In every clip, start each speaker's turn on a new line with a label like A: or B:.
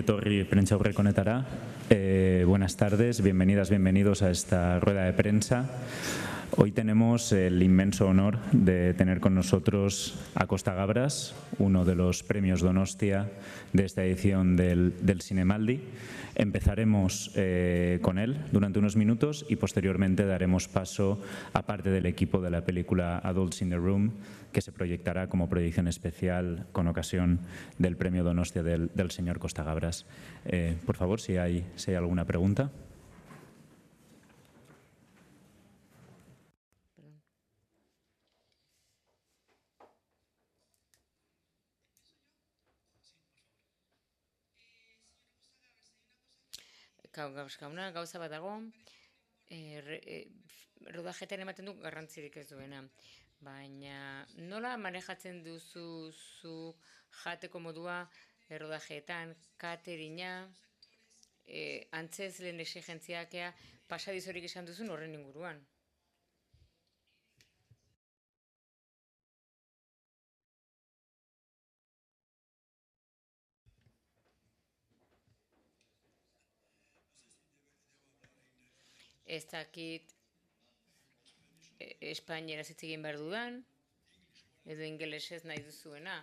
A: etorri prentsaurreko honetara. Buenas tardes, bienvenidas, bienvenidos a esta rueda de prensa. Hoy tenemos el inmenso honor de tener con nosotros a Costa Gabras, uno de los premios Donostia de esta edición del Zinemaldi. Empezaremos con él durante unos minutos y posteriormente daremos paso a parte del equipo de la película Adults in the Room, que se proyectará como proyección especial con ocasión del premio Donostia del señor Costa Gabras. Por favor, si hay alguna pregunta.
B: Gauza bat dago, rodajetan ematen du garrantzirik ez duena. Baina nola manejatzen duzu zu jateko modua rodajetan, kateringa, antzezleen exigentziakea, pasadizorik esan duzun horren inguruan? Ez dakit espainieraz hitz egin behar dudan, edo ingelesez nahi duzuena.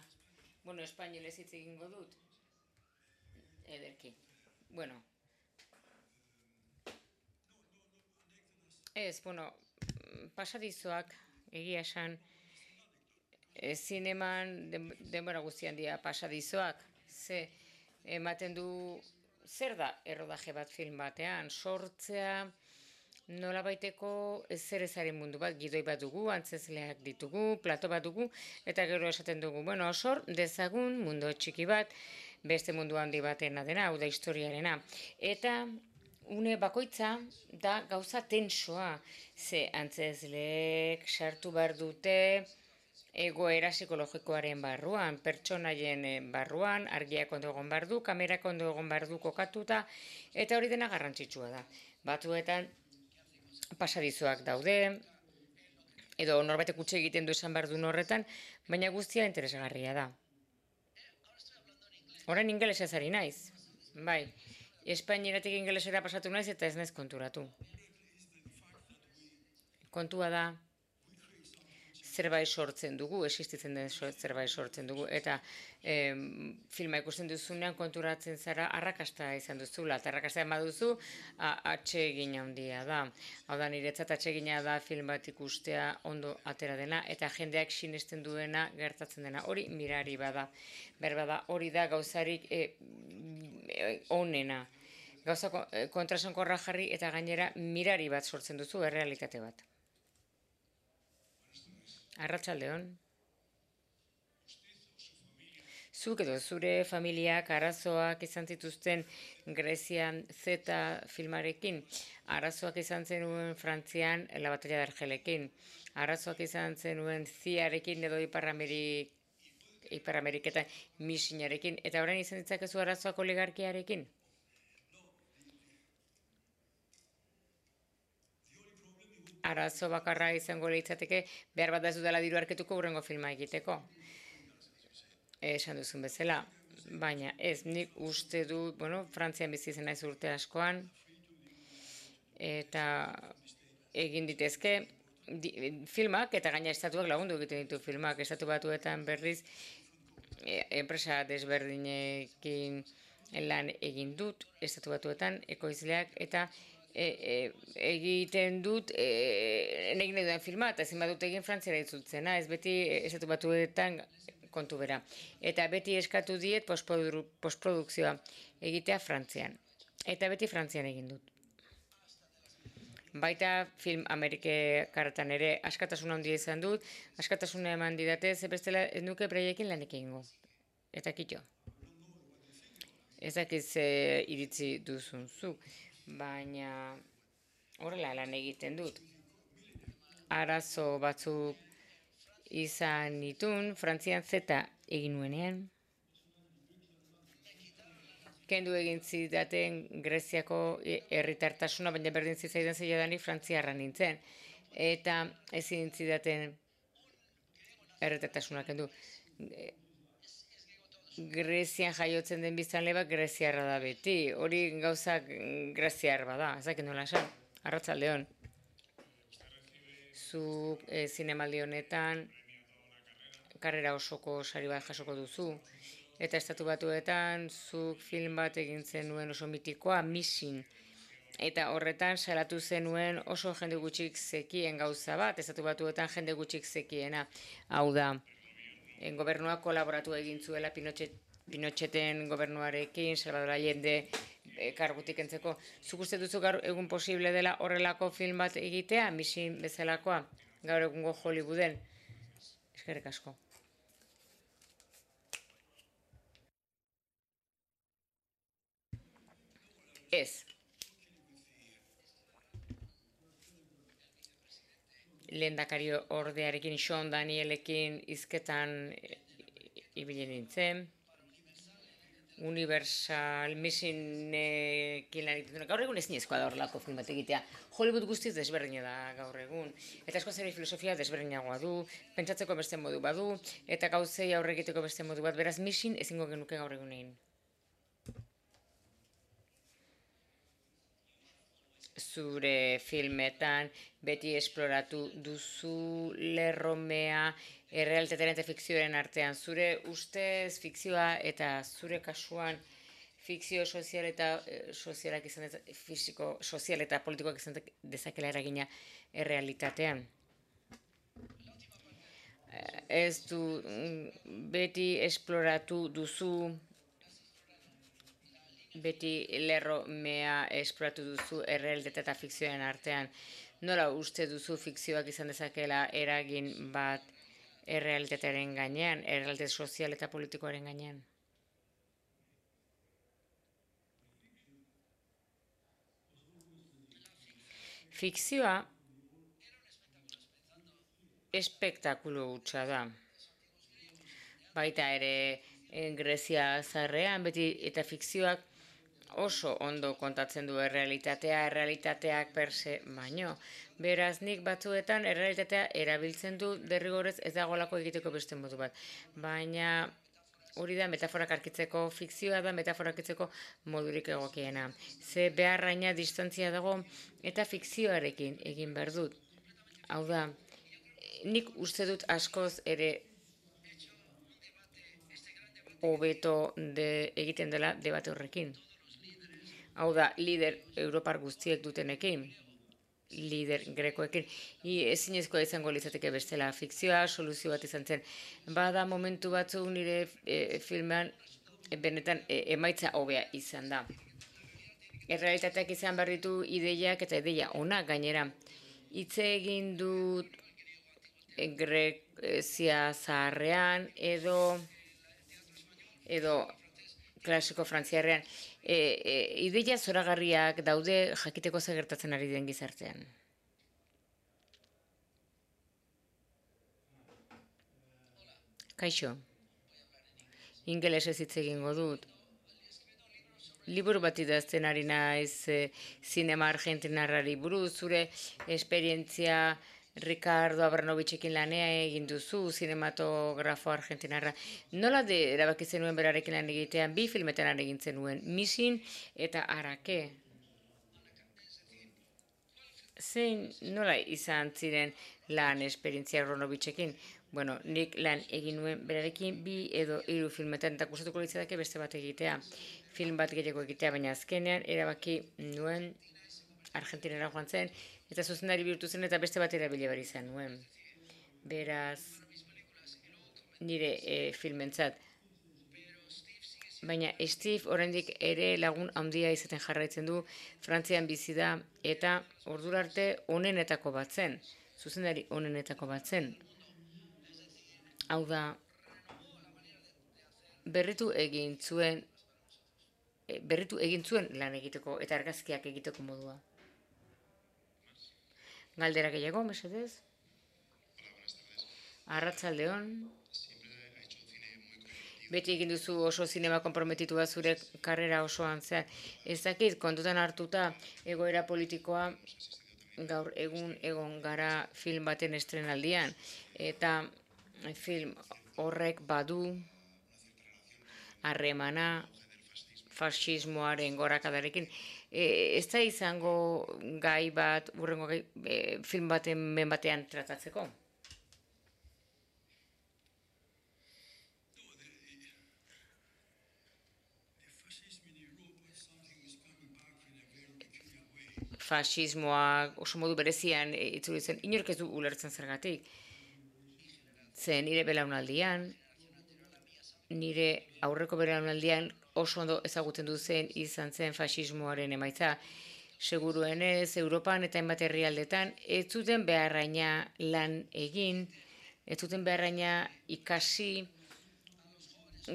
B: Bueno, espainolez hitz egingo dut. Ederki. Bueno. Pasadizoak, egia esan, zineman denbora guztian dira pasadizoak. Ematen du, zer da errodaje bat film batean, sortzea, nola baiteko zer ezaren mundu bat, gidoi bat dugu, antzezleak ditugu, plato bat dugu, eta gero esaten dugu, sor dezagun mundu txiki bat, beste mundu handi batena dena, hau da historiarena. Eta une bakoitza da gauza tensoa, ze antzezleek sartu behar dute egoera psikologikoaren barruan, pertsonaien barruan, argiak ondo egon behar du, kamerak ondo egon behar du kokatuta, eta hori dena garrantzitsua da. Batzuetan pasadizoak daude, edo norbaitek utxe egiten du esan behar du horretan, baina guztia interesgarria da. Orain ingelesez ari naiz. Bai, espainieratik ingelesera pasatu naiz eta ez naiz konturatu. Kontua da, zerbait sortzen dugu, existitzen den zerbait sortzen dugu, eta filma ikusten duzunean konturatzen zara arrakasta izan duzula, eta arrakasta ema duzu atsegin handia da. Hau da, niretzat atsegina da film bat ikustea ondo atera dena, eta jendeak sinesten duena gertatzen dena. Hori mirari bada. Berbada, hori da gauzarik onena. Gauza kontrasankorra jarri eta gainera mirari bat sortzen duzu, errealitate bat. Arratsaldeon. Zuk edo zure familiak arazoak izan zituzten Grezian Z filmarekin, arazoak izan zenuen Frantzian La Batalla de Argelekin, arazoak izan zenuen Ziarekin edo Ipar Ameriketan Misinarekin, eta orain izan ditzakezu arazoak oligarkiarekin? Arazo bakarra izango litzateke, behar bat da ez dudala diru arketuko hurrengo filma egiteko. Esan duzun bezala, baina ez, nik uste du, Frantzian bizi zen naiz urte askoan, eta egin ditezke filmak, eta gaina estatuak lagundu egiten ditu filmak, estatu batuetan berriz, enpresa desberdinekin lan egin dut, estatu batuetan, ekoizleak, eta egiten dut egin nahi duen filma, eta ezin badut egin Frantziara itzultzena, ez beti estatu batuetan kontu bera. Eta beti eskatu diet postprodukzioa egitea Frantzian. Eta beti Frantzian egin dut. Baita film Amerikaratan ere askatasuna handia izan dut, askatasuna eman didate, ze bestela ez nuke beraiekin lanik egingo. Eta kitxo. Ez dakiz iritzi duzun zu, baina horrela lan egiten dut. Arazo batzuk izan nitun, Frantzian Z egin nuenean. Kendu egin zidaten Greziako herritartasuna, baina berdin zitzaidan zeiadanik Frantziarra nintzen. Eta ezin zidaten herritartasuna kendu. Grezian jaiotzen den biztanle bat greziarra da beti. Hori gauzak greziar bada, ez dakit nola esan. Arratsaldeon. Zuk zinemaldi honetan karrera osoko sari bat jasoko duzu. Eta Estatu Batuetan zuk film bat egin zenuen oso mitikoa, Mission. Eta horretan salatu zenuen oso jende gutxik zekien gauza bat, Estatu Batuetan jende gutxik zekiena. Hau da, gobernuak kolaboratu egin zuela Pinocheten gobernuarekin, Salvador Allende kargutik entzeko. Zuk uste duzu gaur egun posible dela horrelako film bat egitea, Mission bezalakoa, gaur egungo Hollywooden? Eskerrik asko. Ez. Lehendakari ordearekin, Sean Danielekin hizketan ibili nintzen. Universal Missionekin lan egiten. Gaur egun ezinezkoa da horrelako film bat egitea. Hollywood guztiz desberdina da gaur egun. Eta askoz ere filosofia desberdinagoa du, pentsatzeko beste modu badu, eta gauzei aurre egiteko beste modu bat. Beraz, Mission ezingo genuke gaur egun egin. Zure filmetan beti esploratu duzu lerromea errealitatearen eta fikzioaren artean. Zure ustez fikzioa eta zure kasuan fikzio sozial eta sozialak izan fisiko sozial eta politikoak izan dezakela eragina errealitatean. Ez du beti esploratu duzu beti lerromea esploratu duzu errealitate eta fikzioaren artean. Nola uste duzu fikzioak izan dezakela eragin bat errealitatearen gainean, errealitate sozial eta politikoaren gainean? Fikzioa espektakulu hutsa da. Baita ere Grezia zarrean, beti eta fikzioak oso ondo kontatzen du errealitateak perse baino. Beraz, nik batzuetan errealitatea erabiltzen du derrigorez ez dagoelako egiteko beste modu bat. Baina hori da metaforak arkitzeko, fikzioa da metaforak arkitzeko modurik egokiena. Ze beharraina distantzia dago eta fikzioarekin egin behar dut. Hau da, nik uste dut askoz ere hobeto egiten dela debate horrekin. Hau da, lider Europar guztiek dutenekin, lider grekoekin, ezinezkoa izango litzateke bestela. Fikzioa soluzio bat izan zen. Bada momentu batzu nire filmean benetan emaitza hobea izan da. Errealitateak izan behar ditu ideiak eta ideia onak gainera. Hitz egin dut Grezia zaharrean edo klasiko frantziarrean. Ideia zoragarriak daude jakiteko zer gertatzen ari den gizartean. Kaixo, ingelesez hitz egingo dut. Liburu bat idazten ari naiz zinema argentinarrari buruz, zure esperientzia Ricardo Abramovitzekin lanea egin duzu, zinematografo argentinarra. Nola erabaki zenuen berarekin lan egitean, 2 filmetan lan egin zenuen, Mission eta Arake. Zein nola izan ziren lan esperientzia Abramovitzekin? Bueno, nik lan egin nuen berarekin 2 edo 3 filmetan, eta gustatuko litzateke beste bat egitea, film bat gehiago egitea, baina azkenean erabaki nuen Argentinara joan zen, eta zuzendari bihurtu zen eta beste bat erabili behar izan nuen. Beraz, nire filmentzat. Baina Steve oraindik ere lagun handia izaten jarraitzen du, Frantzian bizi da, eta ordura arte onenetako bat zen, zuzendari onenetako bat zen. Hau da, berritu egin zuen lan egiteko eta argazkiak egiteko modua. Galdera gehiago, mesedez? Arratsaldeon. Beti egin duzu oso zinema konprometitua zure karrera osoan zehar. Ez dakit, kontutan hartuta egoera politikoa gaur egon gara film baten estrenaldian. Eta film horrek badu harremana fascismoaren gorakadarekin. Ez da izango gai bat, urrengo film batean tratatzeko? Fascismoak oso modu berezian itzuli zen, inork ez du ulertzen zergatik. Zen nire belaunaldian, nire aurreko belaunaldian oso ondo ezagutzen du zen izan zen fascismoaren emaitza. Seguruenez, Europan eta hainbat herrialdetan ez zuten beharraina lan egin, ez zuten beharraina ikasi,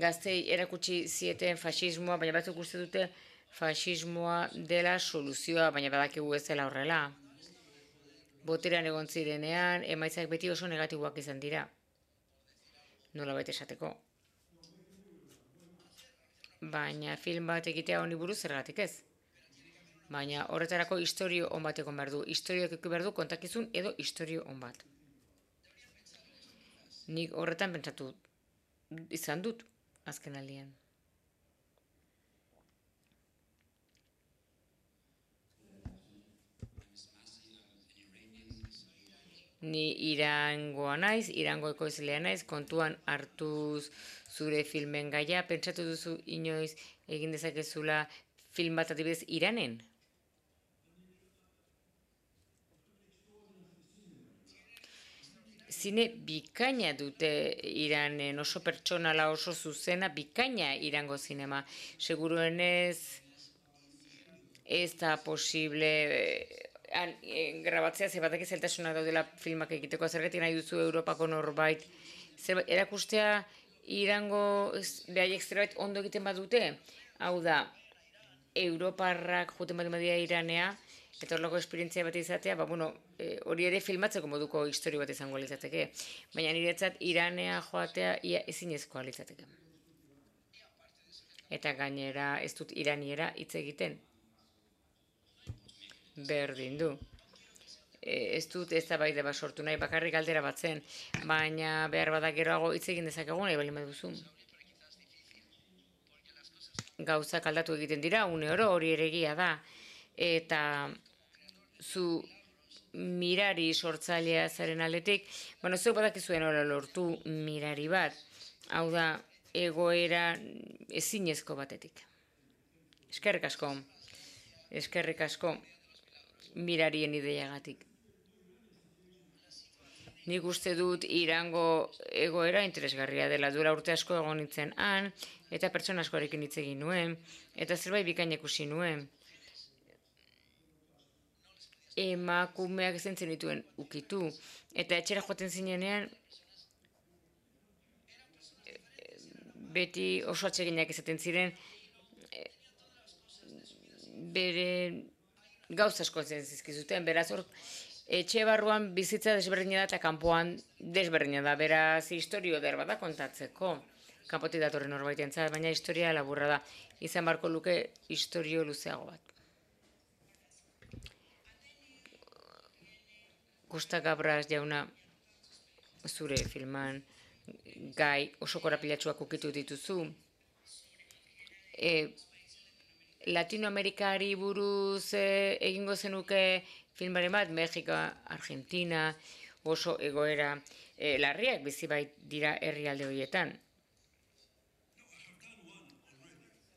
B: gaztei erakutsi zieten fascismoa, baina batzuk uste dute fascismoa dela soluzioa, baina badakigu ez dela horrela. Boterean egon zirenean, emaitzak beti oso negatiboak izan dira. Nolabait esateko. Baina film bat egitea honi buruz zergatik ez. Baina horretarako istorio on bat egon behar du. Istorioak eki behar du kontakizun edo istorio on bat. Nik horretan pentsatu izan dut azken aldian. Ni Irangoa naiz, Irango ekoizlea naiz, kontuan hartuz zure filmen gaia, pentsatu duzu inoiz egin dezakezula film bat adibidez Iranen? Zine bikaina dute Iranen, oso pertsonala, oso zuzena, bikaina Irango zinema. Seguruenez ez da posible grabatzea, ze batak zeltasuna daudela filmak egiteko, zergatik nahi duzu Europako norbait. Erakustea Irango behaiek zerbait ondo egiten badute, hau da, Europarrak juten bat badia Iranea, eta horrelako esperientzia bat izatea, hori ere filmatzeko moduko historio bat izango litzateke. Baina niretzat Iranea joatea ia ezinezkoa litzateke. Eta gainera ez dut iraniera hitz egiten. Berdin du. Ez dut eztabaida bat sortu nahi, bakarrik galdera bat zen, baina behar bada geroago hitz egin dezakegun nahi baldin baduzu. Gauzak aldatu egiten dira, une oro hori ere egia da. Eta zu mirari sortzailea zaren aldetik, zuek badakizuen hori lortu mirari bat, hau da egoera ezinezko batetik. Eskerrik asko. Eskerrik asko mirarien ideiagatik. Nik uste dut Irango egoera interesgarria dela, duela urte asko egon nintzen han, eta pertsona askorekin hitz egin nuen, eta zerbait bikaina ikusi nuen. Emakumeak zentzen dituen ukitu, eta etxera joaten zinenean, beti oso atseginak izaten ziren, bere gauza asko zizkizuten, beraz hor, etxe barruan bizitza desberdina da eta kanpoan desberdina da, beraz historio derba da kontatzeko. Kanpotik datorren norbaitentzat, baina historia laburra da. Izan barko luke historio luzeago bat. Costa Gabras jauna, zure filman gai oso korapilatsuak ukitu dituzu. Latinoamerikari buruz egingo zenuke filmaren bat, Mexiko, Argentina, oso egoera larriak bizi bait dira herrialde horietan.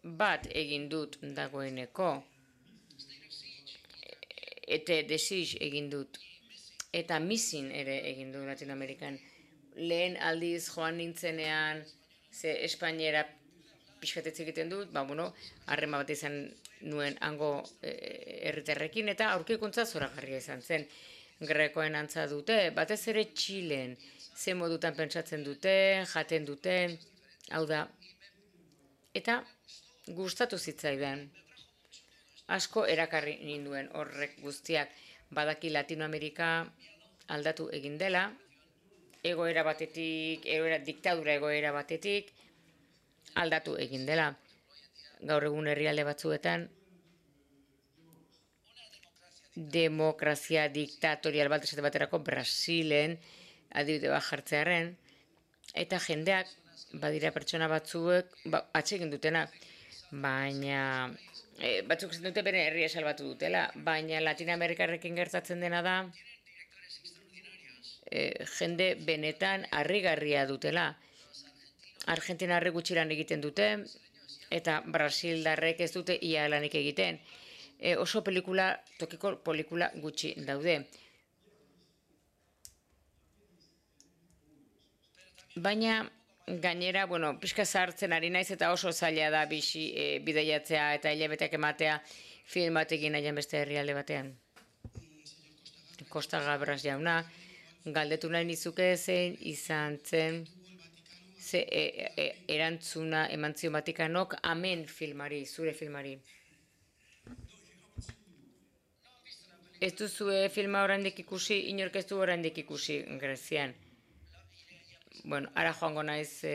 B: Bat egin dut dagoeneko, eta desig egin dut, eta Missing ere egin du Latinoamerikan. Lehen aldiz joan nintzenean, ze Espainiera pixkatetze egiten dut, harrema bat izan nuen hango herritarrekin, eta aurkikuntza zoragarria izan zen. Grekoen antza dute, batez ere Txilen, ze modutan pentsatzen dute, jaten dute, hau da. Eta gustatu zitzaidan. Asko erakarri ninduen horrek guztiak, badaki Latinoamerika aldatu egin dela, egoera batetik, diktadura egoera batetik, aldatu egin dela. Gaur egun herrialde batzuetan demokrazia diktatorial bat esate baterako Brasilen adibide bat jartzearen, eta jendeak badira pertsona batzuek atsegin dutena, baina batzuk esan dute bere herria salbatu dutela, baina Latinoamerikarrekin gertatzen dena da jende benetan harrigarria dutela. Argentinarrek gutxi lan egiten dute, eta Brasildarrek ez dute ia lanik egiten. Oso tokiko pelikula gutxi daude. Baina gainera, pixka zahartzen ari naiz eta oso zaila da bidaiatzea eta hilabeteak ematea film bat egin nahian beste herrialde batean. Costa Gabras jauna, galdetu nahi nizuke zein izan zen erantzuna eman zion Vatikanok Amen filmari, zure filmari. Ez duzue filma oraindik ikusi, inork ez du oraindik ikusi Grezian. Ara joango naiz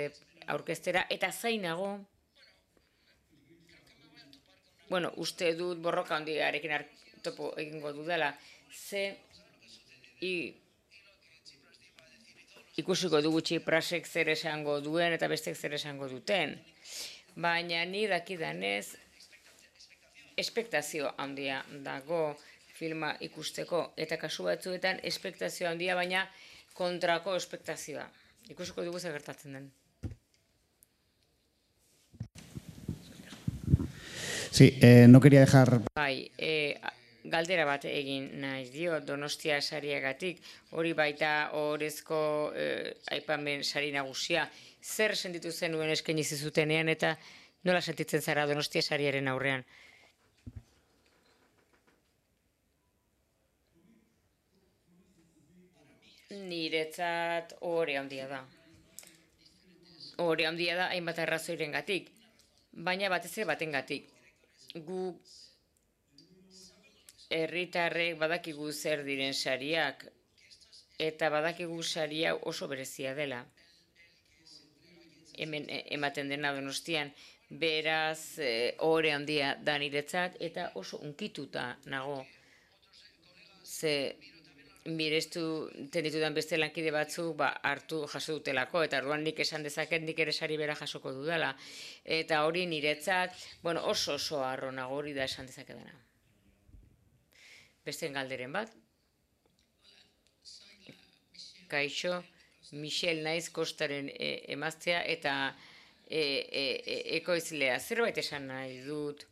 B: aurkeztera, eta zainago, uste dut borroka handiarekin topo egingo dudala, ikusiko dugu Tsiprasek zer esango duen eta bestek zer esango duten. Baina ni dakidanez, espektazio handia dago filma ikusteko, eta kasu batzuetan espektazio handia, baina kontrako espektazioa. Ikusiko dugu zer gertatzen den.
C: Sí, no quería dejar...
B: Bai, galdera bat egin nahi dio Donostia sariagatik, hori baita orezko aipamen sari nagusia. Zer sentitu zenuen eskaini zizutenean eta nola sentitzen zara Donostia sariaren aurrean? Niretzat ohore handia da. Ohore handia da hainbat arrazoirengatik, baina batez ere batengatik. Gu herritarrek badakigu zer diren sariak, eta badakigu saria oso berezia dela. Hemen ematen dena Donostian, beraz ohore handia da niretzat, eta oso unkituta nago. Ze mirestu ditudan beste lankide batzuk hartu jaso dutelako, eta orduan nik esan dezaket nik ere sari bera jasoko dudala. Eta hori niretzat, oso harro nago, hori da esan dezakedana. Beste galderen bat. Kaixo, Michel naiz Kostaren emaztea eta ekoizlea. Zerbait esan nahi dut.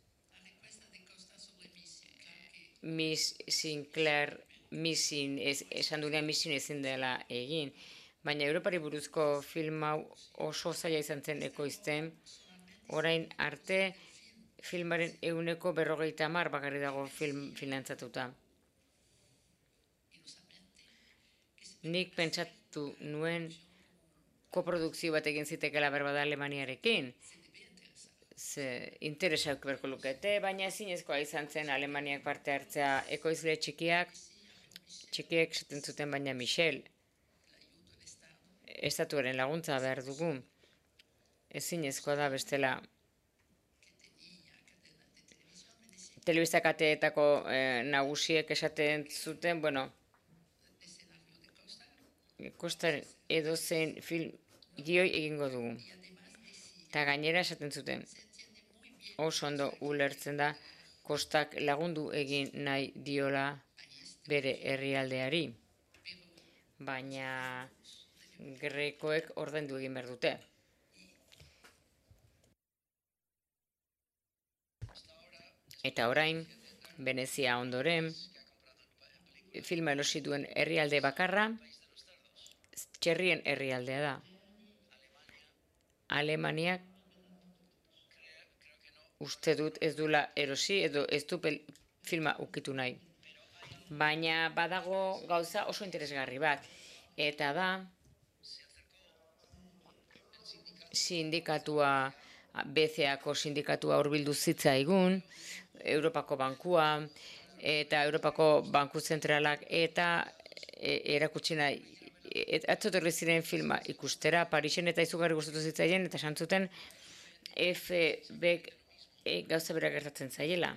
B: Miss Sinclair esan duenean Missin ezin dela egin, baina Europari buruzko film hau oso zaila izan zen ekoizten, orain arte filmaren 50% bakarrik dago finantzatuta. Nik pentsatu nuen koprodukzio bat egin zitekela berbada Alemaniarekin, interesak berko lukete, baina ezinezkoa izan zen Alemaniak parte hartzea. Ekoizle txikiek esaten zuten, baina Michel, estatuaren laguntza behar dugu. Ezinezkoa da bestela. Telebista kateetako nagusiek esaten zuten, Kostaren edozein film gioi egingo dugu. Eta gainera esaten zuten, oso ondo ulertzen da Kostak lagundu egin nahi diola bere herrialdeari, baina Grekoek ordaindu egin behar dute. Eta orain, Venezia ondoren, filma erosi duen herrialde bakarra, txerrien herrialdea da. Alemaniak uste dut ez dula erosi edo ez du filma ukitu nahi. Baina badago gauza oso interesgarri bat. Eta da, sindikatua, BCAko sindikatua hurbildu zitzaigun, Europako Bankua, eta Europako Banku Zentralak, eta erakutsi nahi, atzotorri ziren filma ikustera, Parisen eta izugarri gustatu zitzaien, eta santzuten FBek gauza bera gertatzen zaiela.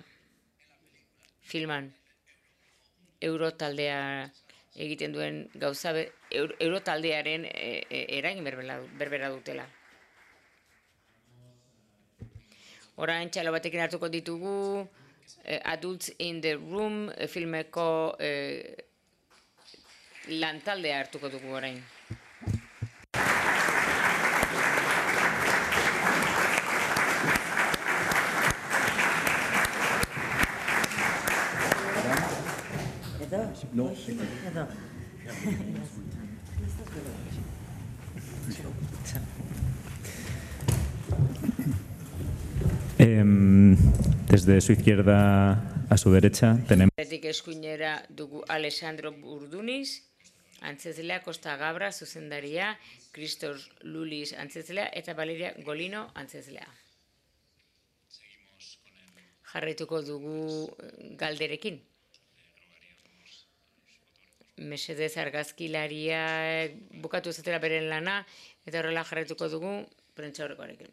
B: Filman, Eurotaldea egiten duen gauza, Eurotaldearen eragin berbera dutela. Orain txalo batekin hartuko ditugu Adults in the Room filmeko lantaldea hartuko dugu orain.
D: No.
A: Desde su izquierda a su derecha tenemos...
B: Eskuinera dugu Alessandro Burduniz, antzezlea, Costa Gabra zuzendaria, Christos Lulis antzezlea eta Valeria Golino antzezlea. Jarraituko dugu galderekin. Mesedez argazkilaria bukatu ezatera beren lana, eta horrela jarraituko dugu prentsaurrekoarekin.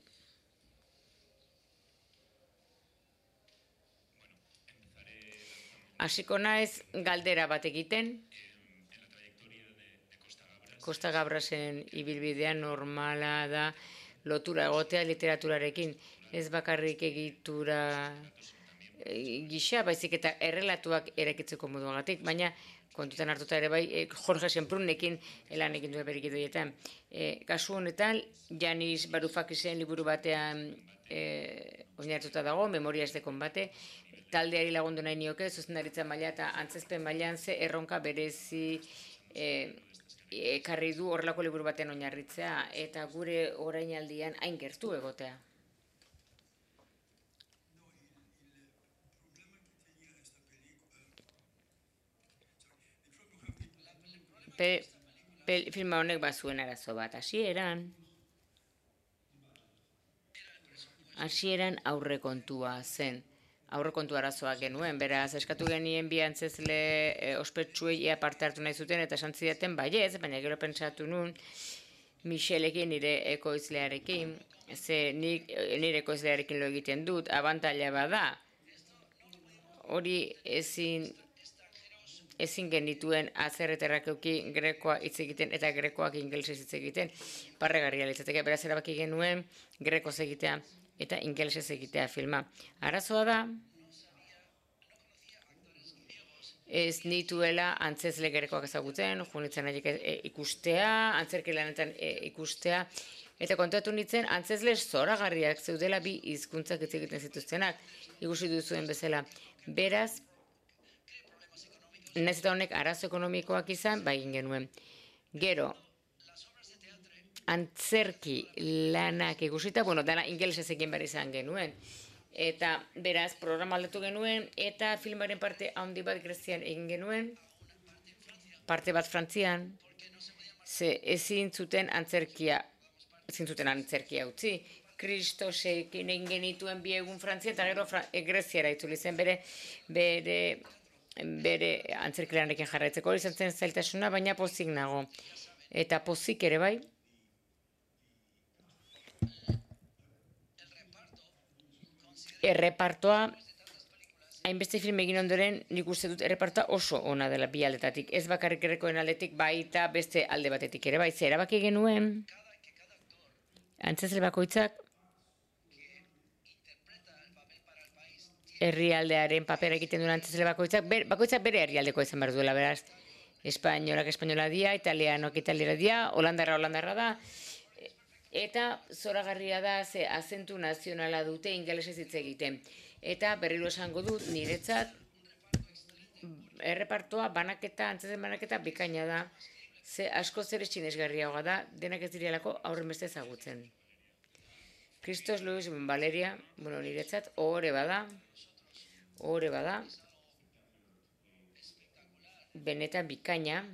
B: Hasiko naiz galdera bat egiten. Costa Gabrasen ibilbidea normala da lotura egotea literaturarekin. Ez bakarrik egitura gisa, baizik eta errelatuak erakitzeko moduagatik, baina kontutan hartuta ere bai, Jorge Semprunekin lan egin duen beriki doietan. Kasu honetan, Janis Varufakisen liburu batean oinarrituta dago, Memorias de Combate, taldeari lagundu nahi nioke, zuzendaritza maila eta antzezpen mailan ze erronka berezi ekarri du horrelako liburu batean oinarritzea, eta gure orainaldian hain gertu egotea. Filma honek bazuen arazo bat. Hasieran aurrekontua zen. Aurrekontu arazoak genuen, beraz, eskatu genien bi antzezle ospetsuei ea parte hartu nahi zuten, eta esan zidaten baiez, baina gero pentsatu nun, Michelekin, nire ekoizlearekin, ze nire ekoizlearekin lo egiten dut, abantaila bada, hori ezin genituen azerreterrak euki grekoa hitz egiten eta grekoak ingelesez hitz egiten, barregarria litzateke, beraz erabaki genuen grekoz egitea eta ingelesez egitea filma. Arazoa da, ez nituela antzezle grekoak ezagutzen, junitzen nahi ikustea, antzerki lanetan ikustea, eta kontatu nintzen antzezle zoragarriak zeudela bi hizkuntzak hitz egiten zituztenak, ikusi duzuen bezala. Beraz, nahiz eta honek arazo ekonomikoak izan, egin genuen. Gero, antzerki lanak ikusita, dana ingelesez egin behar izan genuen. Eta beraz, programa aldatu genuen, eta filmaren parte handi bat Grezian egin genuen, parte bat Frantzian, ze ezin zuten antzerkia utzi. Kristosekin egin genituen bi egun Frantzia, eta gero Greziara itzuli zen bere antzerkilanekin jarraitzeko, hori izan zen zailtasuna, baina pozik nago. Eta pozik ere bai, errepartoa, hainbeste film egin ondoren, nik uste dut errepartoa oso ona dela bi aldetatik. Ez bakarrik grekoen aldetik, baita beste alde batetik ere bai. Ze erabaki genuen, antzezle bakoitzak, herrialdearen papera egiten duen antzezle bakoitzak bere herrialdeko izan behar duela, beraz. Espainolak espainola dia, italianok italiara dia, holandarra da, eta zoragarria da ze azentu nazionala dute ingelesez hitz egiten. Eta berriro esango dut niretzat errepartoa antzezlen banaketa bikaina da, ze asko zer sinesgarriagoa da, denak ez direlako aurren beste ezagutzen. Christos Lulis Valeria, niretzat ohore bada, benetan bikaina,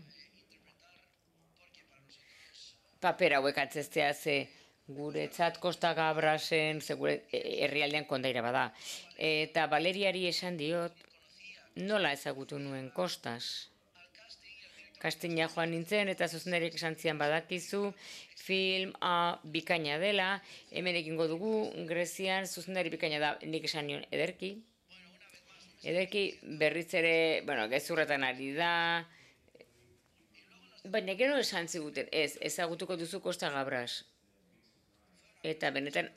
B: paper hauek antzeztea ze guretzat Costa Gabrasen, ze gure herrialdean kondaira bada. Eta Valeriari esan diot, nola ezagutu nuen Kostas. Kastina joan nintzen eta zuzendariak esan zian badakizu, film bikaina dela, hemen egingo dugu, Grezian zuzendari bikaina da, nik esan nion ederki. Ederki berriz ere, gezurretan ari da, baina gero esan ziguten, ezagutuko duzu Costa Gabras. Eta benetan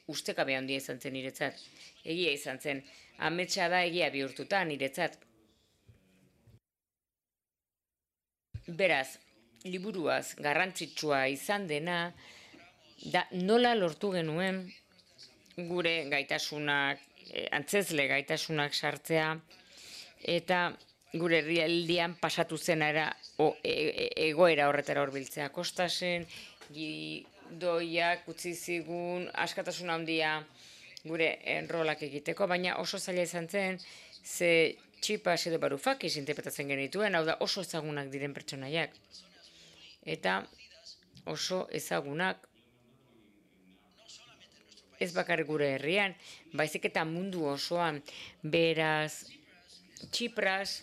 B: ustekabe handia izan zen niretzat. Egia izan zen. Ametsa da egia bihurtuta niretzat. Beraz, liburuaz garrantzitsua izan dena, da nola lortu genuen gure gaitasunak, antzezle gaitasunak sartzea, eta gure herrialdean pasatu zenara egoera horretara hurbiltzea. Kostasen, gidoiak utzi zigun askatasun handia gure enrolak egiteko, baina oso zaila izan zen, ze Txipas edo Varoufakis interpretatzen genituen, hau da oso ezagunak diren pertsonaiak. Eta oso ezagunak ez bakarrik gure herrian, baizik eta mundu osoan. Beraz, Txipras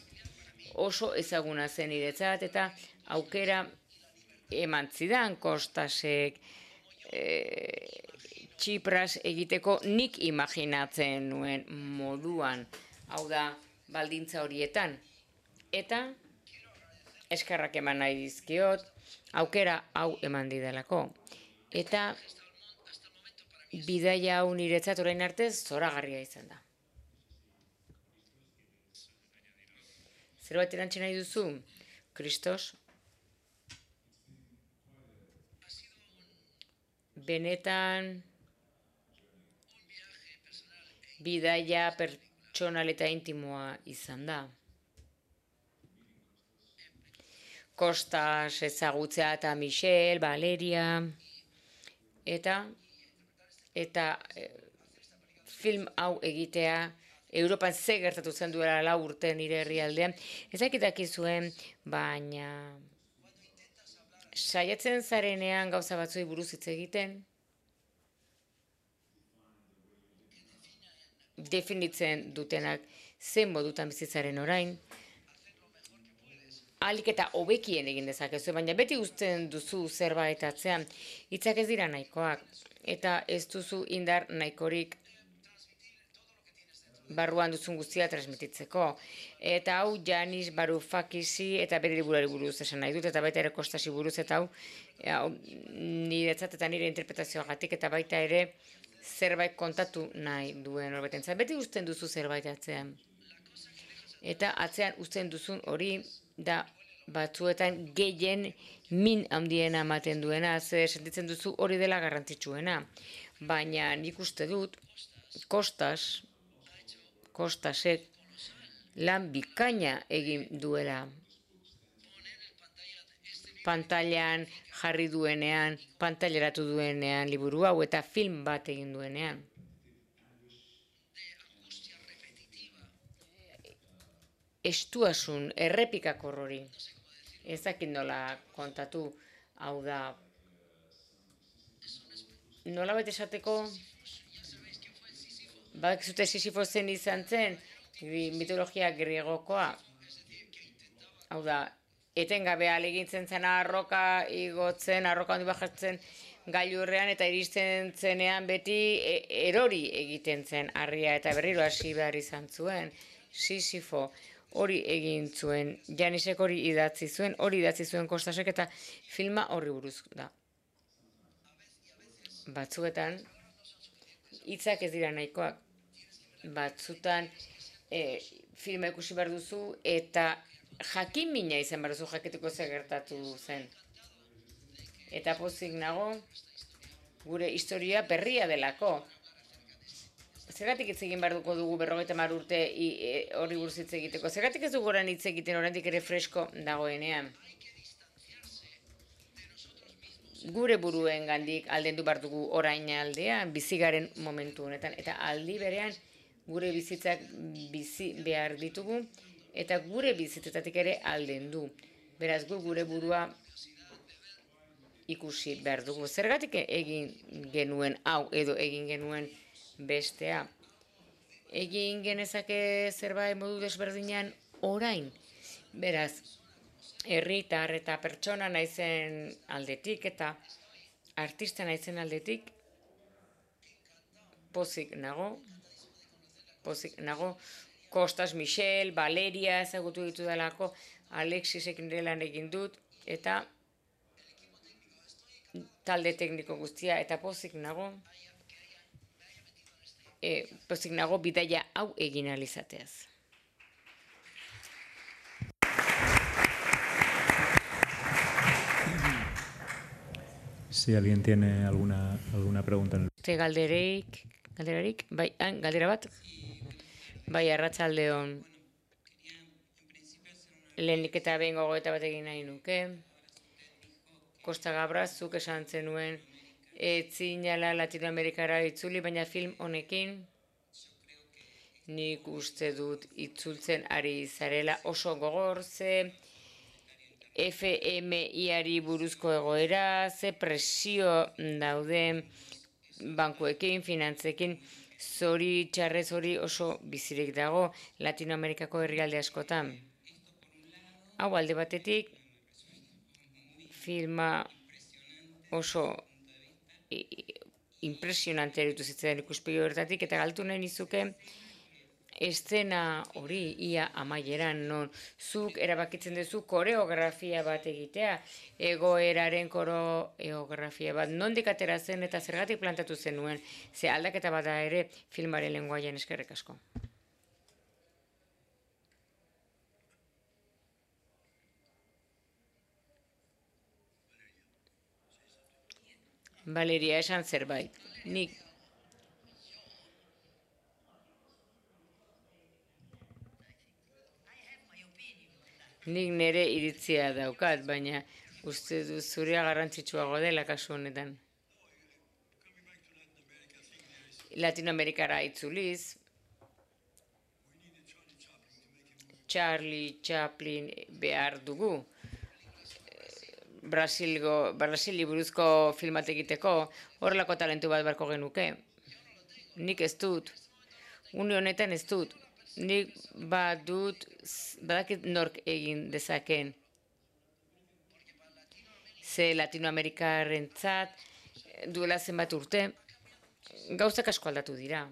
B: oso ezaguna zen niretzat, eta aukera eman zidan Kostasek Txipras egiteko nik imaginatzen nuen moduan, hau da baldintza horietan. Eta eskerrak eman nahi dizkiot, aukera hau eman didalako. Eta bidaia hau niretzat orain arte zoragarria izan da. Zerbait erantzi nahi duzu? Kristos? Benetan bidaia pertsonal eta intimoa izan da. Kostas ezagutzea eta Michel, Valeria, eta film hau egitea, Europan ze gertatu zen duela 4 urte nire herrialdean, ez dakizuen, baina saiatzen zarenean gauza batzuei buruz hitz egiten, definitzen dutenak zen modutan bizitzaren orain, ahalik eta hobekien egin dezakezu, baina beti uzten duzu zerbait atzean, hitzak ez dira nahikoak, eta ez duzu indar nahikorik barruan duzun guztia transmititzeko. Eta hau Yanis Varoufakisi eta bere liburuari buruz esan nahi dut, eta baita ere Kostasi buruz, eta hau niretzat eta nire interpretazioagatik, eta baita ere zerbait kontatu nahi duen horbetentzat. Beti uzten duzu zerbait atzean. Eta atzean uzten duzun hori da batzuetan gehien min handiena ematen duena, ze sentitzen duzu hori dela garrantzitsuena. Baina nik uste dut Kostasek lan bikaina egin duela. Pantailan jarri duenean, pantaileratu duenean liburu hau, eta film bat egin duenean. Estuasun, errepikakor hori. Ez dakit nola kontatu, hau da. Nola baita esateko, bakizute Sisifo zen izan zen, mitologia griegokoa. Hau da, etengabe ahalegintzen zen arroka igotzen, arroka handi bajatzen gailurrean, eta iristen zenean beti erori egiten zen harria, eta berriro hasi behar izan zuen. Sisifo hori egin zuen, Janisek hori idatzi zuen Kostasek, eta filma horri buruz da. Batzuetan, hitzak ez dira nahikoak. Batzutan filma ikusi behar duzu eta jakin mina izan behar duzu jakiteko ze gertatu zen. Eta pozik nago gure historia berria delako. Zergatik hitz egin behar dugu 50 urte hori buruz hitz egiteko? Zergatik ez dugu orain hitz egiten oraindik ere fresko dagoenean? Gure buruen gandik aldendu behar dugu orain aldean, bizigaren momentu honetan, eta aldi berean gure bizitzak bizi behar ditugu, eta gure bizitzetatik ere aldendu. Beraz, gure burua ikusi behar dugu. Zergatik egin genuen hau edo egin genuen bestea? Egin genezake zerbait modu desberdinean orain. Beraz, herritar eta pertsona naizen aldetik eta artista naizen aldetik pozik nago. Kostas, Michel, Valeria ezagutu ditu dalako, Alexisek nire lan egin dut, eta talde tekniko guztia, eta pozik nago. pozik nago bidaia hau egin ahal izateaz.
A: Si alguien tiene alguna pregunta.
B: Galderarik? Bai, galdera bat? Bai, arratsaldeon. Lehenik eta behin gogoeta bat egin nahi nuke. Costa Gabra, zuk esan zenuen, etzinala Latinoamerikara itzuli, baina film honekin nik uste dut itzultzen ari zarela oso gogor, ze FMI-ari buruzko egoera, ze presio dauden bankuekin, finantzekin, zori txarrez hori oso bizirik dago Latinoamerikako herrialde askotan. Hau alde batetik, filma oso impresionante eritu zitzen ikuspegi horretatik, eta galtu nahi nizuke eszena hori ia amaieran, non zuk erabakitzen duzu koreografia bat egitea, egoeraren koreografia bat, nondik atera zen eta zergatik plantatu zenuen, ze aldaketa bada ere filmaren lenguaian. Eskerrik asko. Valeria, esan zerbait. Nik nire iritzia daukat, baina uste du zurea garrantzitsuago dela kasu honetan. Latinoamerikara itzuliz, Charlie Chaplin behar dugu. Brasili buruzko filmat egiteko horrelako talentu bat beharko genuke. Nik ez dut. Une honetan ez dut. Nik badakit nork egin dezaken. Ze Latinoamerikarrentzat duela zenbat urte, gauzak asko aldatu dira.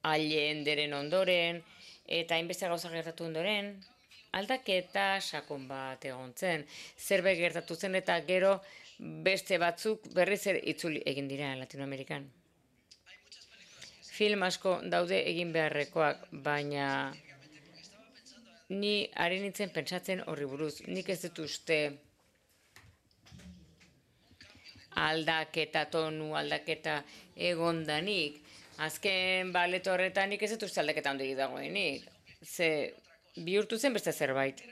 B: Allenderen ondoren, eta hainbeste gauza gertatu ondoren, aldaketa sakon bat egon zen. Zerbait gertatu zen eta gero beste batzuk berriz itzuli egin dira Latinoamerikan. Film asko daude egin beharrekoak, baina ni ari nintzen pentsatzen horri buruz. Nik ez dut uste aldaketa tonu, aldaketa egondanik. Azken baleto horretan nik ez dut uste aldaketa ondorik dagoenik. Ze bihurtu zen beste zerbait.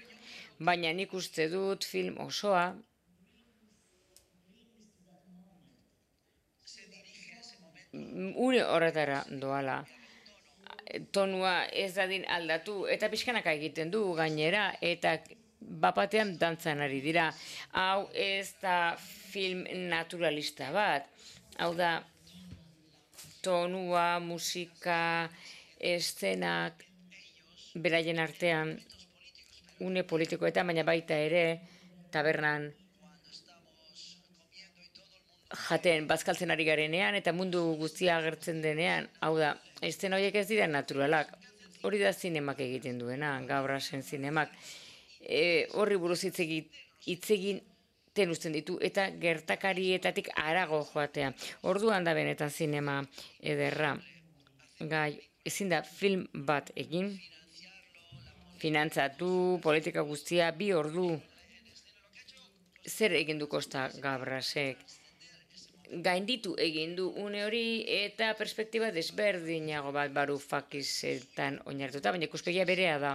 B: Baina nik uste dut film osoa une horretara doala. Tonua ez dadin aldatu eta pixkanaka egiten du gainera eta bapatean dantzan ari dira. Hau ez da film naturalista bat. Hau da tonua, musika, eszenak, beraien artean une politikoetan, baina baita ere tabernan jaten bazkaltzen ari garenean eta mundu guztia agertzen denean, hau da, eszena horiek ez dira naturalak. Hori da zinemak egiten duena, Gabrasen zinemak. Horri buruz hitz egiten uzten ditu eta gertakarietatik harago joatea. Orduan da benetan zinema ederra. Gai, ezin da film bat egin, finantzatu, politika guztia, 2 ordu. Zer egin du Costa Gabrasek? Gainditu egin du une hori eta perspektiba desberdinago bat Varoufakisetan oinarrituta, baina ikuspegia berea da.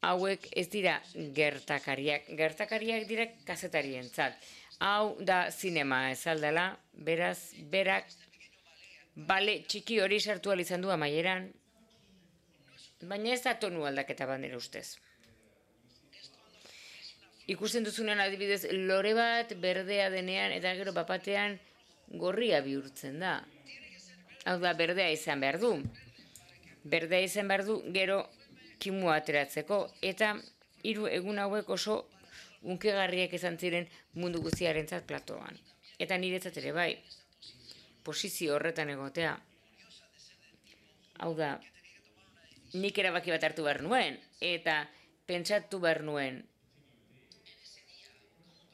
B: Hauek ez dira gertakariak. Gertakariak dira kazetarientzat. Hau da zinema ez aldela, beraz, berak bale txiki hori sartu ahal izan du amaieran, baina ez da tonu aldaketa bat nire ustez. Ikusten duzunean adibidez lore bat berdea denean eta gero bapatean gorria bihurtzen da. Hau da, berdea izan behar du. Berdea izan behar du gero kimua ateratzeko eta 3 egun hauek oso unkegarriak izan ziren mundu guztiarentzat platoan. Eta niretzat ere bai, posizio horretan egotea. Hau da, nik erabaki bat hartu behar nuen eta pentsatu behar nuen.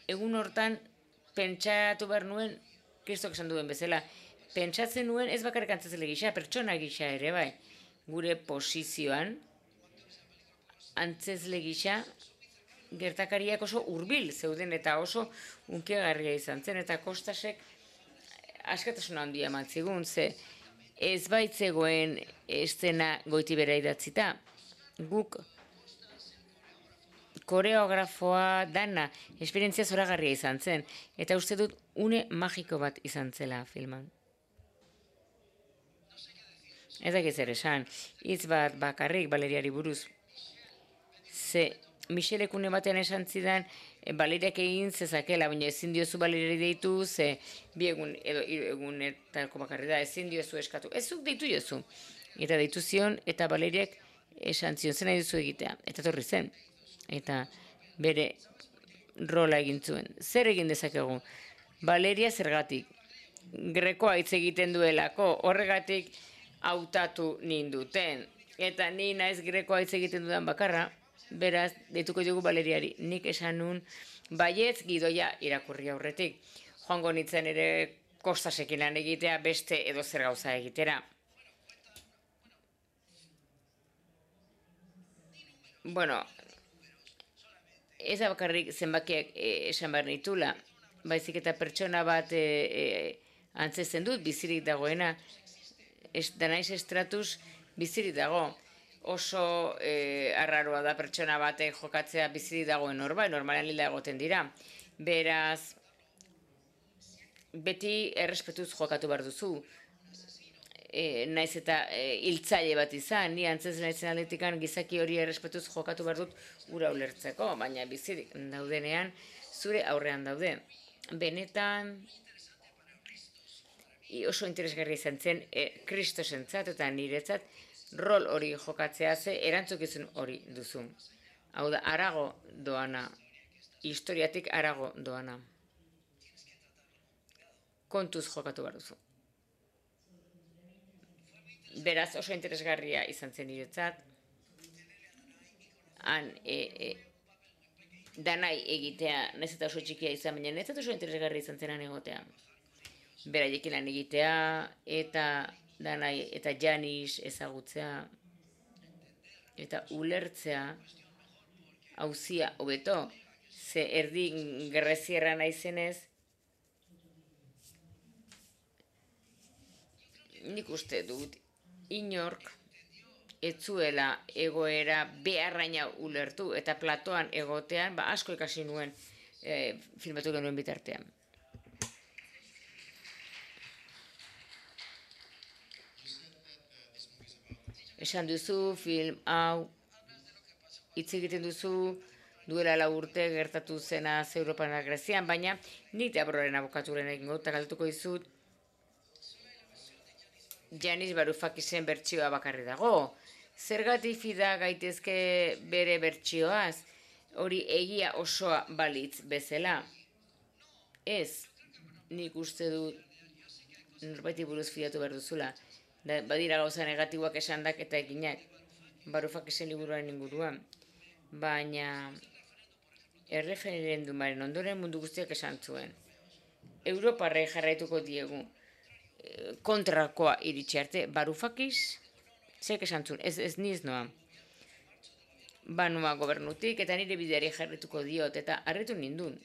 B: Egun hortan pentsatu behar nuen, Kristok esan duen bezala, pentsatzen nuen ez bakarrik antzezle gisa, pertsona gisa ere bai, gure posizioan, antzezle gisa, gertakariak oso hurbil zeuden eta oso unkiagarria izan zen, eta Kostasek askatasuna handia eman zigun, ze ez baitzegoen eszena Goitibera idatzita. Guk koreografoa dana, esperientzia zoragarria izan zen, eta uste dut une magiko bat izan zela filman. Ez dakit zer esan, hitz bat bakarrik Valeriari buruz. Ze Michelek une batean esan zidan, Valeriak egin zezakela, baina ezin diozu Valeriari deitu, ze bi egun edo hiru egunetako bakarri da, ezin diozu eskatu. Ez zuk deitu jozu. Eta deitu zion, eta Valeriak esan zion, zen nahi duzu egitea. Eta torri zen. Eta bere rola egin zuen. Zer egin dezakegu? Valeria zergatik. Grekoa hitz egiten duelako, horregatik hautatu ninduten. Eta ni naiz grekoa hitz egiten dudan bakarra, beraz, deituko dugu Valeriari. Nik esan nun, baietz gidoia irakurri aurretik. Joango nintzen ere Kostasekin lan egitea, beste edo zer gauza egitera. Bueno, ez da bakarrik zenbakiak esan behar nitula, baizik eta pertsona bat antzesten dut, bizirik dagoena, danaiz estratus bizirik dago. Oso arraroa da pertsona batek jokatzea bizirik dagoen normalean lila egoten dira. Beraz, beti errespetuz jokatu behar duzu. Naiz eta hiltzaile bat izan, ni antzez naizen aldetikan gizaki hori errespetuz jokatu behar dut ura ulertzeko, baina bizirik daudenean zure aurrean daude. Benetan oso interesgarria izan zen Kristosentzat eta niretzat rol hori jokatzea ze erantzukizun hori duzu. Hau da, harago doana, historiatik harago doana. Kontuz jokatu behar duzu. Beraz, oso interesgarria izan zen niretzat. Han, danai egitea, nahiz eta oso txikia izan, baina niretzat oso interesgarria izan zenan egotea. Beraiekin lan egitea, eta danai eta Janis ezagutzea, eta ulertzea, hauzia hobeto, ze erdi grezierra naizenez, nik uste dut, inork etzuela egoera beharraina ulertu, eta platoan egotean, asko ikasi nuen filmatu genuen bitartean. Esan duzu, film hau, hitz egiten duzu, duela 4 urte gertatu zena Europan eta Grezian, baina nik Deabroren abokaturen egingo eta galtuko dizut, Janis Varufakisen bertsioa bakarri dago. Zergatik fida gaitezke bere bertsioaz, hori egia osoa balitz bezala. Ez, nik uste dut norbaiti buruz fidatu behar duzula. Badira gauza negatiboak esandak eta eginak, Varufakisen liburuaren inguruan. Baina erreferendumaren ondoren mundu guztiak esan zuen. Europarrei jarraituko diegu kontrakoa iritsi arte. Varufakis, zek esan zuen, ez niz noa. Banua gobernutik eta nire bideari jarraituko diot eta harritu nindun.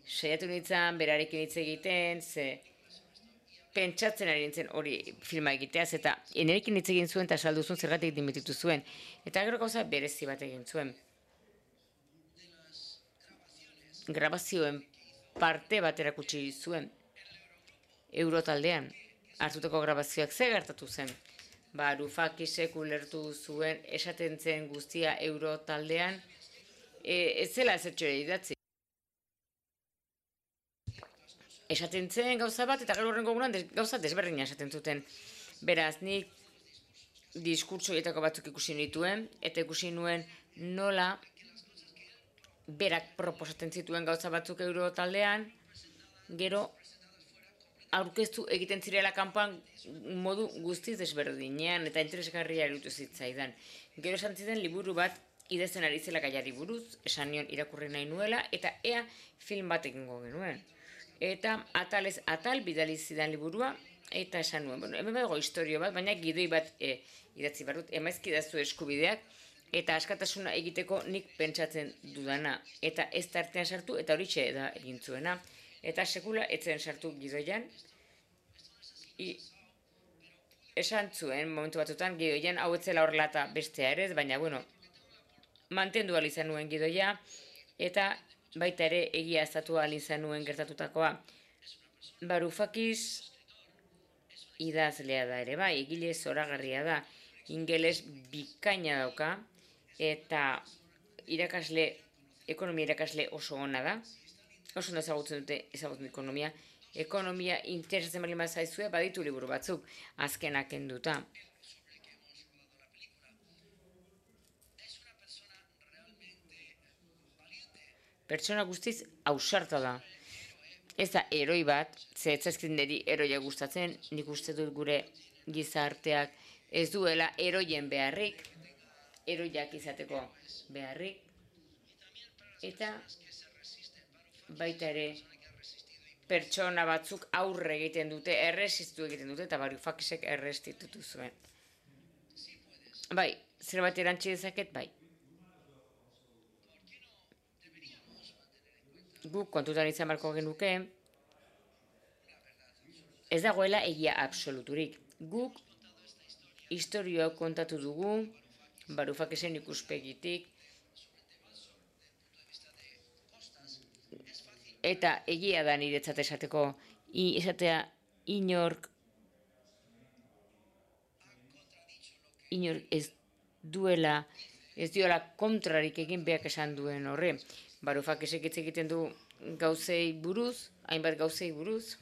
B: Saiatu nintzen, berarekin hitz egiten, ze pentsatzen ari nintzen hori filma egiteaz, eta enerekin hitz egin zuen eta saldu zuen zergatik dimititu zuen. Eta gero gauza berezi bat egin zuen. Grabazioen parte bat erakutsi zuen. Eurotaldean, hartutako grabazioak ze gertatu zen. Varufakisek ulertu zuen esaten zen guztia Eurotaldean, ez zela ezertxo idatzi. Esaten zen gauza bat, eta gero horrengo egunean gauza desberdina esaten zuten. Beraz, nik diskurtsoietako batzuk ikusi nituen, eta ikusi nuen nola berak proposatzen zituen gauza batzuk Eurotaldean, gero aurkeztu egiten zirela kanpoan modu guztiz desberdinean, eta interesgarria iruditu zitzaidan. Gero esan ziren liburu bat idazten ari zela gaiari buruz, esan nion irakurri nahi nuela, eta ea film bat egingo genuen. eta atalez atal bidali zidan liburua, eta esan nuen, bueno, hemen badago historio bat, baina gidoi bat idatzi behar dut, emaizkidazu eskubideak, eta askatasuna egiteko nik pentsatzen dudana, eta ez tartean sartu, eta horixe da egin zuena, eta sekula etzen sartu gidoian, esan zuen momentu batzutan gidoian hau etzela horrelata bestea ere, baina bueno, mantendu ahal izan nuen gidoia, eta baita ere egia eztatu ahal izan nuen gertatutakoa. Varoufakis idazlea da ere, bai, egile zoragarria da, ingeles bikaina dauka, eta ekonomia irakasle oso ona da, oso ondo ezagutzen ekonomia, ekonomia interesatzen bali zaizue, baditu liburu batzuk, azkenak enduta. Pertsona guztiz ausarta da. Ez da eroi bat, ze etzazkin niri eroia gustatzen, nik uste dut gure gizarteak ez duela eroien beharrik, eroiak izateko beharrik, eta baita ere pertsona batzuk aurre egiten dute, erresistu egiten dute, eta Varoufakisek errestitutu zuen. Bai, zerbait erantzi dezaket, bai. Guk kontutan izan barko genuke, ez dagoela egia absoluturik. Guk historioa kontatu dugu, Varoufakisen ikuspegitik, eta egia da niretzat esateko, esatea inork ez diola kontrarik egin beak esan duen horre. Varoufakisek hitz egiten du gauzei buruz, hainbat gauzei buruz.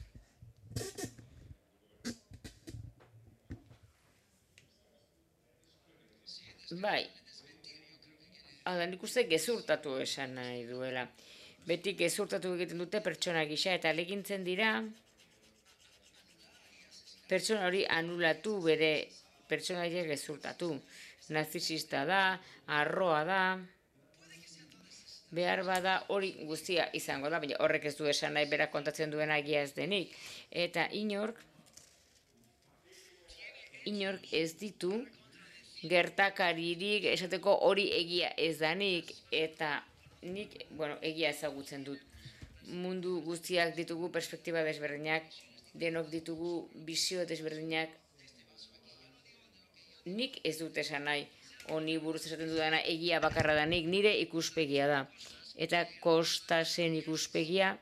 B: Bai, nik uste gezurtatu esan nahi duela. Beti gezurtatu egiten dute pertsona gisa, eta alegintzen dira pertsona hori anulatu, bere pertsonaia gezurtatu. Nazisista da, arroa da, behar bada hori guztia izango da, baina horrek ez du esan nahi berak kontatzen duen egia ez denik. Eta inork ez ditu gertakaririk esateko hori egia ez danik, eta nik, egia ezagutzen dut. Mundu guztiak ditugu perspektiba desberdinak, denok ditugu bizio desberdinak. Nik ez dut esan nahi, honi buruz esaten dudana egia bakarra da, nik nire ikuspegia da. Eta Kostasen ikuspegia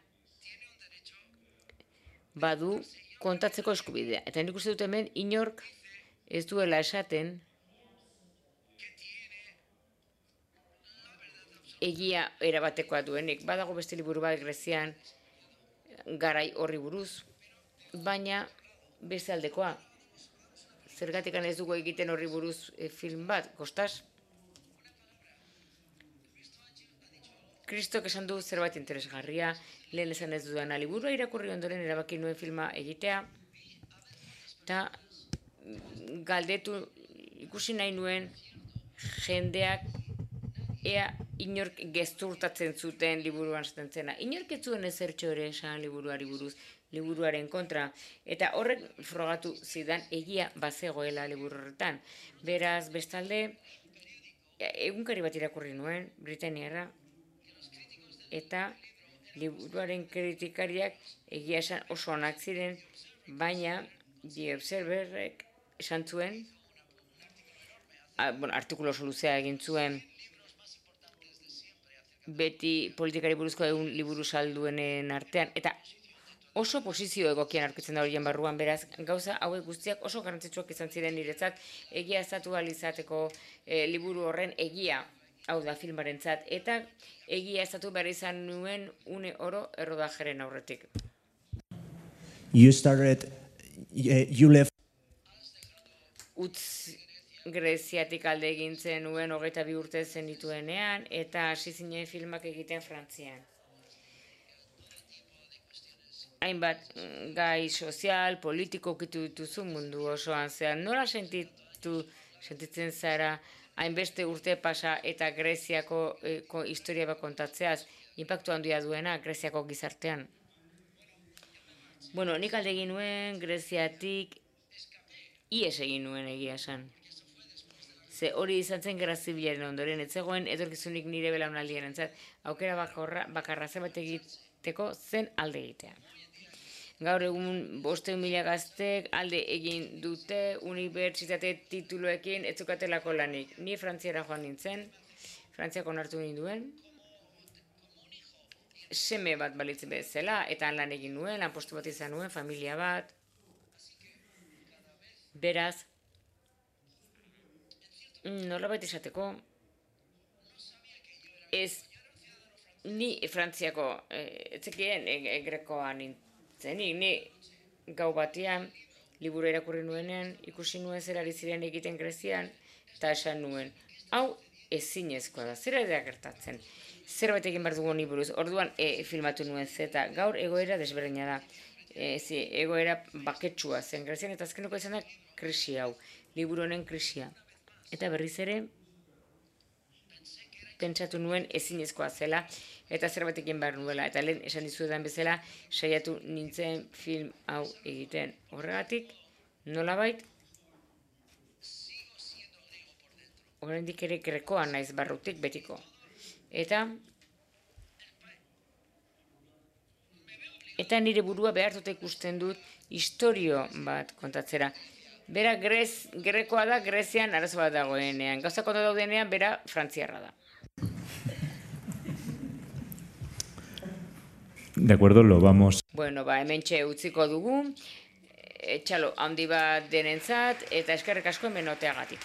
B: badu kontatzeko eskubidea. Eta nik uste dut hemen inork ez duela esaten egia erabatekoa duenik. Badago beste liburu bat Grezian garai horri buruz, baina beste aldekoa. Zergatik ez dugu egiten horri buruz film bat, Kostas? Kristok esan du zerbait interesgarria, lehen esan ez dudana liburua irakurri ondoren erabaki nuen filma egitea, eta galdetu ikusi nahi nuen jendeak ea inork gezurtatzen zuten liburuan esaten zena. Inork ez zuen ezertxo ere esan liburuari buruz, liburuaren kontra, eta horrek frogatu zidan egia bazegoela liburu horretan. Beraz, bestalde, egunkari bat irakurri nuen, Britaniarra, eta liburuaren kritikariak egia esan oso onak ziren, baina The Observerrek esan zuen, artikulo oso luzea egin zuen, beti politikari buruzko egun liburu salduenen artean, eta oso posizio egokian aurkitzen da horien barruan, beraz, gauza hauek guztiak oso garrantzitsuak izan ziren niretzat, egia eztatu ahal izateko liburu horren egia, hau da filmarentzat, eta egia eztatu behar izan nuen une oro errodajeren aurretik.
C: You left.
B: Greziatik alde egin zenuen 22 urte zenituenean, eta hasi zinen filmak egiten Frantzian. Hainbat gai sozial, politiko ukitu dituzu mundu osoan, zean nola sentitzen zara hainbeste urte pasa eta Greziako historia bat kontatzeaz, inpaktu handia duena Greziako gizartean? Bueno, nik alde egin nuen, Greziatik, ies egin nuen egia esan. Ze hori izan zen gerra zibilaren ondoren, ez zegoen etorkizunik nire belaunaldien entzat, aukera bakarra zerbait egiteko zen alde egitea. Gaur egun 500.000 gaztek alde egin dute unibertsitate tituluekin ez zukatelako lanik. Ni Frantziara joan nintzen, Frantziak onartu ninduen, seme bat balitzen bezala, eta lan egin nuen, lanpostu bat izan nuen, familia bat. Beraz, nolabait esateko, ez ni Frantziako, etzekien grekoa nintzenik, ni gau batean, liburu irakurri nuenean, ikusi nuen zer ari ziren egiten Grezian, eta esan nuen, hau ezinezkoa da, zer da gertatzen, zerbait egin behar dugu honi buruz, orduan filmatu nuen zeta, gaur egoera desberdina da, egoera baketsua zen Grezian, eta azkeneko izan da krisi hau, liburu honen krisia. Eta berriz ere, pentsatu nuen ezinezkoa zela, eta zerbait egin behar nuela, eta lehen esan dizuetan bezala, saiatu nintzen film hau egiten. Horregatik, nolabait, oraindik ere grekoa naiz barrutik betiko. Eta nire burua behartuta ikusten dut istorio bat kontatzera. Bera grekoa da, Grezian arazo bat dagoenean. Gauzak ondo daudenean, bera frantziarra da.
A: De acuerdo, lo vamos.
B: Bueno, hementxe utziko dugu, txalo handi bat denentzat, eta eskerrik asko hemen oteagatik.